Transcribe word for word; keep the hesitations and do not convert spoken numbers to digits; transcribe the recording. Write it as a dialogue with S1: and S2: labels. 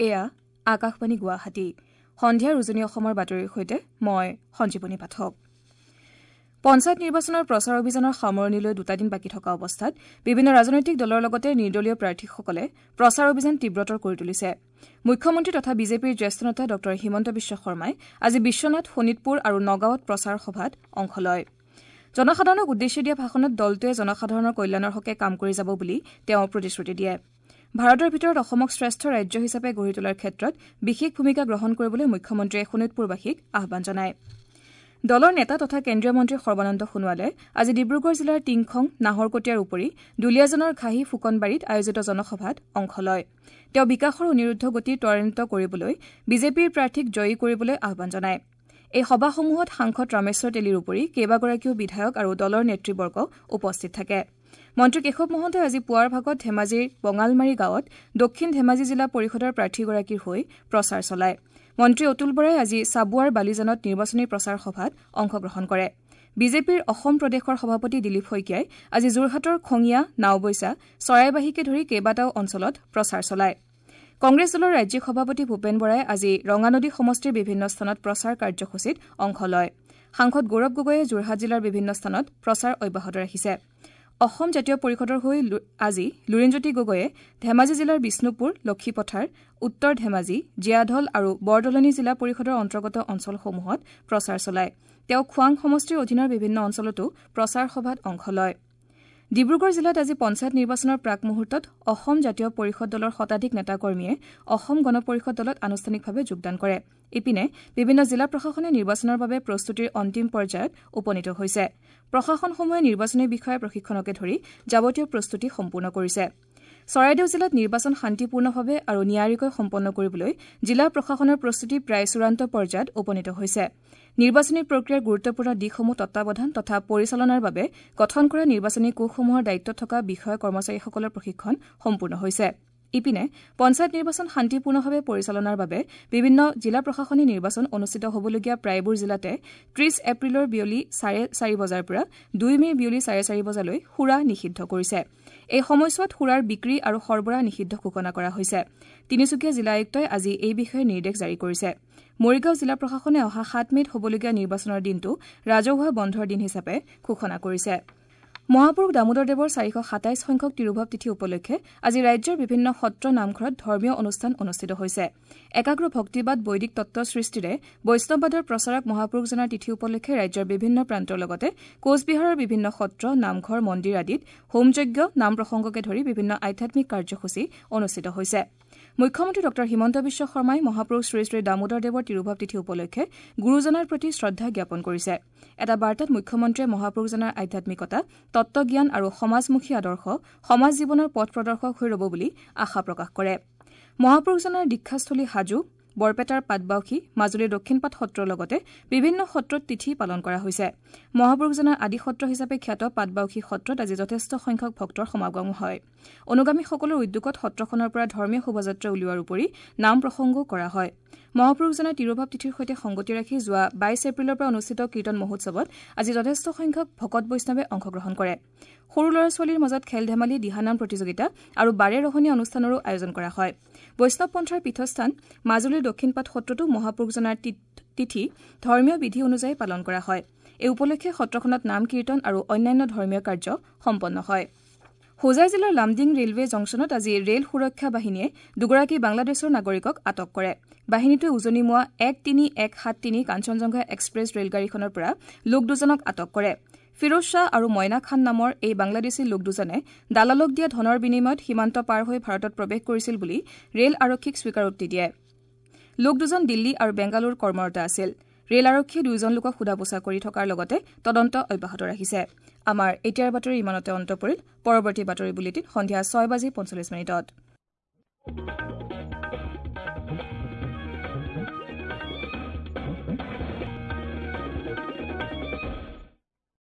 S1: এয়া আকাশবাণী গুৱাহাটী। সন্ধিয়াৰ উজনি অসমৰ বাতৰিৰ সৈতে মই সঞ্জীৱনী পাঠক। পঞ্চায়ত নিৰ্বাচনৰ প্ৰচাৰ অভিযানৰ সামৰণিলৈ দুটা দিন বাকী থকা অৱস্থাত বিভিন্ন ৰাজনৈতিক দলৰ লগতে নিৰ্দলীয় প্ৰাৰ্থীসকলে প্ৰচাৰ অভিযান তীব্ৰতৰ কৰি তুলিছে। মুখ্যমন্ত্ৰী তথা বিজেপিৰ জ্যেষ্ঠ নেতা ডঃ হিমন্ত বিশ্ব শৰ্মাই আজি বিশ্বনাথ, শোণিতপুৰ আৰু নগাঁৱত প্ৰচাৰ সভাত অংশ লয়। জনসাধাৰণক উদ্দেশ্যি দিয়া ভাষণত দলটোৱে জনসাধাৰণৰ কল্যাণৰ হকে কাম কৰি যাব বুলি তেওঁ প্ৰতিশ্ৰুতি দিয়ে। ভাৰতৰ ভিতৰত অসমক শ্ৰেষ্ঠ ৰাজ্য হিচাপে গঢ়ি তোলাৰ ক্ষেত্ৰত বিশেষ ভূমিকা গ্ৰহণ কৰিবলৈ মুখ্যমন্ত্ৰীয়ে শোণিতপুৰবাসীক আহ্বান জনায়। দলৰ নেতা তথা কেন্দ্ৰীয় মন্ত্ৰী সৰ্বানন্দ সোণোৱালে আজি ডিব্ৰুগড় জিলাৰ টিংখং, নাহৰকটীয়াৰ উপৰি দুলীয়াজানৰ ঘাঁহী ফুকনবাৰীত আয়োজিত জনসভাত অংশ লয়। তেওঁ বিকাশৰ অনিৰুদ্ধ গতি ত্বৰান্বিত কৰিবলৈ বিজেপিৰ প্ৰাৰ্থীক জয়ী কৰিবলৈ আহ্বান জনায়। এই সভাসমূহত সাংসদ ৰামেশ্বৰ তেলীৰ উপৰি কেইবাগৰাকীও বিধায়ক আৰু দলৰ নেতৃবৰ্গ উপস্থিত থাকে। মন্ত্ৰী কেশৱ মহন্তই আজি পুৱাৰ ভাগত ধেমাজিৰ বঙালমাৰী গাঁৱত দক্ষিণ ধেমাজি জিলা পৰিষদৰ প্ৰাৰ্থীগৰাকীৰ হৈ প্ৰচাৰ চলায়। মন্ত্ৰী অতুল বৰাই আজি চাবুৱাৰ বালিজানত নিৰ্বাচনী প্ৰচাৰ সভাত অংশগ্ৰহণ কৰে। বিজেপিৰ অসম প্ৰদেশৰ সভাপতি দিলীপ শইকীয়াই আজি যোৰহাটৰ খঙীয়া, নাওবৈচা, চৰাইবাহীকে ধৰি কেইবাটাও অঞ্চলত প্ৰচাৰ চলায়। কংগ্ৰেছ দলৰ ৰাজ্যিক সভাপতি ভূপেন বৰাই আজি ৰঙানদী সমষ্টিৰ বিভিন্ন স্থানত প্ৰচাৰ কাৰ্যসূচীত অংশ লয়। সাংসদ গৌৰৱ গগৈয়ে যোৰহাট জিলাৰ বিভিন্ন স্থানত প্ৰচাৰ অব্যাহত ৰাখিছে। অসম জাতীয় পৰিষদৰ হৈ আজি লুৰিণজ্যোতি গগৈয়ে ধেমাজি জিলাৰ বিষ্ণুপুৰ, লক্ষীপথাৰ, উত্তৰ ধেমাজি, জীয়াঢল আৰু বৰদলনি জিলা পৰিষদৰ অন্তৰ্গত অঞ্চলসমূহত প্ৰচাৰ চলায়। তেওঁ খোৱাং সমষ্টিৰ অধীনৰ বিভিন্ন অঞ্চলতো প্ৰচাৰ সভাত অংশ লয়। ডিব্ৰুগড় জিলাত আজি পঞ্চায়ত নিৰ্বাচনৰ প্ৰাক মুহূৰ্তত অসম জাতীয় পৰিষদ দলৰ শতাধিক নেতাকৰ্মীয়ে অসম গণ পৰিষদ দলত আনুষ্ঠানিকভাৱে যোগদান কৰে। ইপিনে বিভিন্ন জিলা প্ৰশাসনে নিৰ্বাচনৰ বাবে প্ৰস্তুতিৰ অন্তিম পৰ্যায়ত উপনীত হৈছে। প্ৰশাসনসমূহে নিৰ্বাচনী বিষয়াৰ প্ৰশিক্ষণকে ধৰি যাৱতীয় প্ৰস্তুতি সম্পূৰ্ণ কৰিছে। চৰাইদেউ জিলাত নিৰ্বাচন শান্তিপূৰ্ণভাৱে আৰু নিয়াৰিকৈ সম্পন্ন কৰিবলৈ জিলা প্ৰশাসনৰ প্ৰস্তুতি প্ৰায় চূড়ান্ত পৰ্যায়ত উপনীত হৈছে। নিৰ্বাচনী প্ৰক্ৰিয়াৰ গুৰুত্বপূৰ্ণ দিশসমূহ তত্বাৱধান তথা পৰিচালনাৰ বাবে গঠন কৰা নিৰ্বাচনী কোষসমূহৰ দায়িত্বত থকা বিষয়া কৰ্মচাৰীসকলৰ প্ৰশিক্ষণ সম্পূৰ্ণ হৈছে। ইপিনে পঞ্চায়ত নিৰ্বাচন শান্তিপূৰ্ণভাৱে পৰিচালনাৰ বাবে বিভিন্ন জিলা প্ৰশাসনে নিৰ্বাচন অনুষ্ঠিত হ'বলগীয়া প্ৰায়বোৰ জিলাতে ত্ৰিশ এপ্ৰিলৰ বিয়লি চাৰে চাৰি বজাৰ পৰা দুই মে'ৰ বিয়লি চাৰে চাৰি বজালৈ সুৰা নিষিদ্ধ কৰিছে। এই সময়ছোৱাত সুৰাৰ বিক্ৰী আৰু সৰবৰাহ নিষিদ্ধ ঘোষণা কৰা হৈছে। তিনিচুকীয়া জিলা আয়ুক্তই আজি এই বিষয়ে নিৰ্দেশ জাৰি কৰিছে। মৰিগাঁও জিলা প্ৰশাসনে অহা সাত মে'ত হ'বলগীয়া নিৰ্বাচনৰ দিনটো ৰাজহুৱা বন্ধৰ দিন হিচাপে ঘোষণা কৰিছে। মহাপুৰুষ দামোদৰ দেৱৰ চাৰিশ সাতাইছ সংখ্যক তিৰুভাৱ তিথি উপলক্ষে আজি ৰাজ্যৰ বিভিন্ন সত্ৰ নামঘৰত ধৰ্মীয় অনুষ্ঠান অনুষ্ঠিত হৈছে। একাগ্ৰ ভক্তিবাদ, বৈদিক তত্ব সৃষ্টিৰে বৈষ্ণৱবাদৰ প্ৰচাৰক মহাপুৰুষজনাৰ তিথি উপলক্ষে ৰাজ্যৰ বিভিন্ন প্ৰান্তৰ লগতে কোচবিহাৰৰ বিভিন্ন সত্ৰ, নামঘৰ, মন্দিৰ আদিত হোমযজ্ঞ, নাম প্ৰসংগকে ধৰি বিভিন্ন আধ্যাত্মিক কাৰ্যসূচী অনুষ্ঠিত হৈছে। মুখ্যমন্ত্ৰী ডঃ হিমন্ত বিশ্ব শৰ্মাই মহাপুৰুষ শ্ৰী শ্ৰী দামোদৰ দেৱৰ তিৰুভাৱ তিথি উপলক্ষে গুৰুজনাৰ প্ৰতি শ্ৰদ্ধা জ্ঞাপন কৰিছে। এটা বাৰ্তাত মুখ্যমন্ত্ৰীয়ে মহাপুৰুষজনাৰ আধ্যাত্মিকতা, তত্বজ্ঞান আৰু সমাজমুখী আদৰ্শ সমাজ জীৱনৰ পথ প্ৰদৰ্শক হৈ ৰব বুলি আশা প্ৰকাশ কৰে। মহাপুৰুষজনাৰ দীক্ষাস্থলী হাজো, বৰপেটাৰ পাটবাউসী, মাজুলীৰ দক্ষিণপাট সত্ৰৰ লগতে বিভিন্ন সত্ৰত তিথি পালন কৰা হৈছে। মহাপুৰুষজনাৰ আদি সত্ৰ হিচাপে খ্যাত পাটবাউসী সত্ৰত আজি যথেষ্ট সংখ্যক ভক্তৰ সমাগম হয়। অনুগামীসকলৰ উদ্যোগত সত্ৰখনৰ পৰা ধৰ্মীয় শোভাযাত্ৰা উলিওৱাৰ উপৰি নাম প্ৰসংগও কৰা হয়। মহাপুৰুষজনাৰ তিৰুভাৱ তিথিৰ সৈতে সংগতি ৰাখি যোৱা বাইছ এপ্ৰিলৰ পৰা অনুষ্ঠিত কীৰ্তন মহোৎসৱত আজি যথেষ্ট সংখ্যক ভকত বৈষ্ণৱে অংশগ্ৰহণ কৰে। সৰু ল'ৰা ছোৱালীৰ মাজত খেল ধেমালি, দিহানাম প্ৰতিযোগিতা আৰু বাৰে ৰহণীয়া অনুষ্ঠানৰো আয়োজন কৰা হয়। বৈষ্ণৱ পন্থাৰ পীঠস্থান মাজুলীৰ দক্ষিণপাট সত্ৰতো মহাপুৰুষজনাৰ তিথি ধৰ্মীয় বিধি অনুযায়ী পালন কৰা হয়। এই উপলক্ষে সত্ৰখনত নাম কীৰ্তন আৰু অন্যান্য ধৰ্মীয় কাৰ্য সম্পন্ন হয়। হোজাই জিলাৰ লামডিং ৰেলৱে জংচনত আজি ৰেল সুৰক্ষা বাহিনীয়ে দুগৰাকী বাংলাদেশৰ নাগৰিকক আটক কৰে। বাহিনীটোৱে উজনিমুৱা এক তিনি এক সাত তিনি কাঞ্চনজংঘা এক্সপ্ৰেছ ৰেলগাড়ীখনৰ পৰা লোক দুজনক আটক কৰে। ফিৰোজ শ্বাহ আৰু মইনা খান নামৰ এই বাংলাদেশী লোক দুজনে দালালক দিয়া ধনৰ বিনিময়ত সীমান্ত পাৰ হৈ ভাৰতত প্ৰৱেশ কৰিছিল বুলি ৰেল আৰক্ষীক স্বীকাৰোক্তি দিয়ে। লোক দুজন দিল্লী আৰু বেংগালুৰুত কৰ্মৰত আছিল। ৰেল আৰক্ষীয়ে দুয়োজন লোকক সোধা পোছা কৰি থকাৰ লগতে তদন্ত অব্যাহত ৰাখিছে। আমাৰ এতিয়াৰ বাতৰি ইমানতে অন্ত পৰিল। পৰৱৰ্তী বাতৰি বুলেটিন সন্ধিয়া ছয় বাজি পঞ্চল্লিছ মিনিটত।